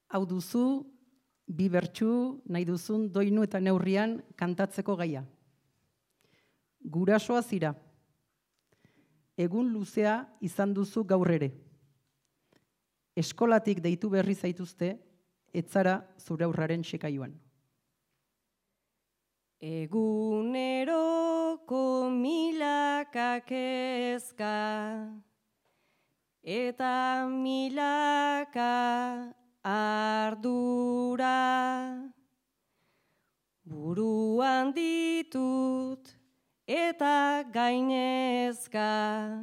Hau duzu, bi bertsu nahi duzun doinu eta neurrian kantatzeko gaia. Gurasoa zira. Egun luzea izan duzu gaur ere. Eskolatik deitu berri zaituzte, etzara zure aurraren sekaiuan. Eguneroko milaka kezka eta milaka ardura buruan ditut eta gainezka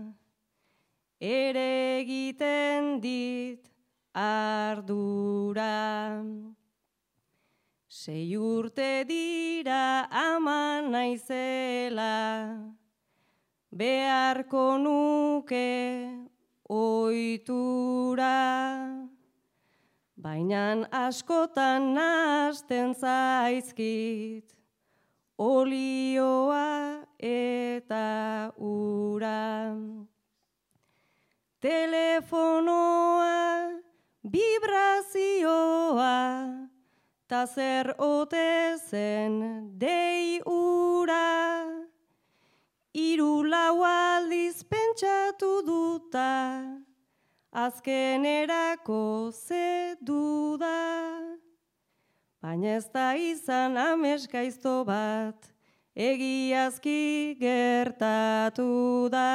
ere egiten dit ardura. 6 urte dira ama naizela, beharko nuke ohitura, baina askotan nahasten zaizkit olioa eta ura. Telefonoa, vibrazioa, ta zer ote zen dei ura. 3-4 aldiz pentsatu duta, azkenerako ze duda. Baina ez da izan amesgaizto bat, egiazki gertatu da.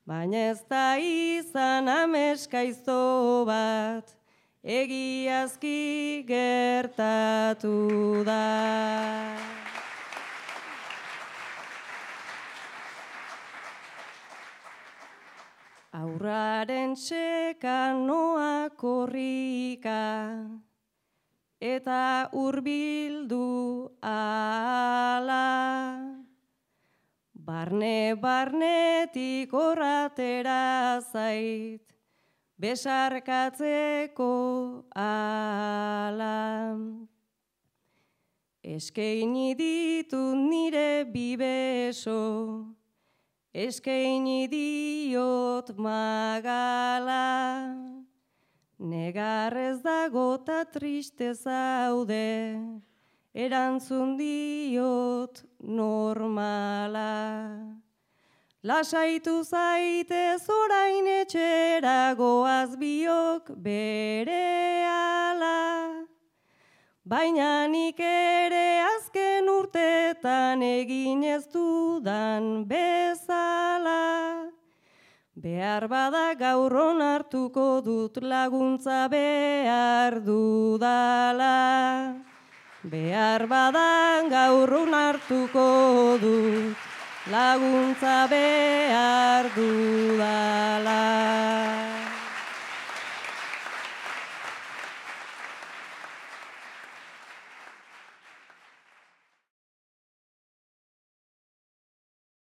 Baina ez da izan amesgaizto bat, egiazki gertatu da. Aurraren txeka noa korrika, eta hurbildu ala. Barnetik horratera zait, besarkatzeko ala. Eskaini ditut nire bibeso, eskaini diot magala. Negarrez dago ta triste zaude, erantzun diot normala. Lasaitu zaitez orain etxera, goaz biok berehala. Baina nik ere azken urtetan egin ez dudan bezala. Behar bada gaur onartuko dut laguntza behar dudala. Behar bada gaur onartuko dut laguntza behar dudala.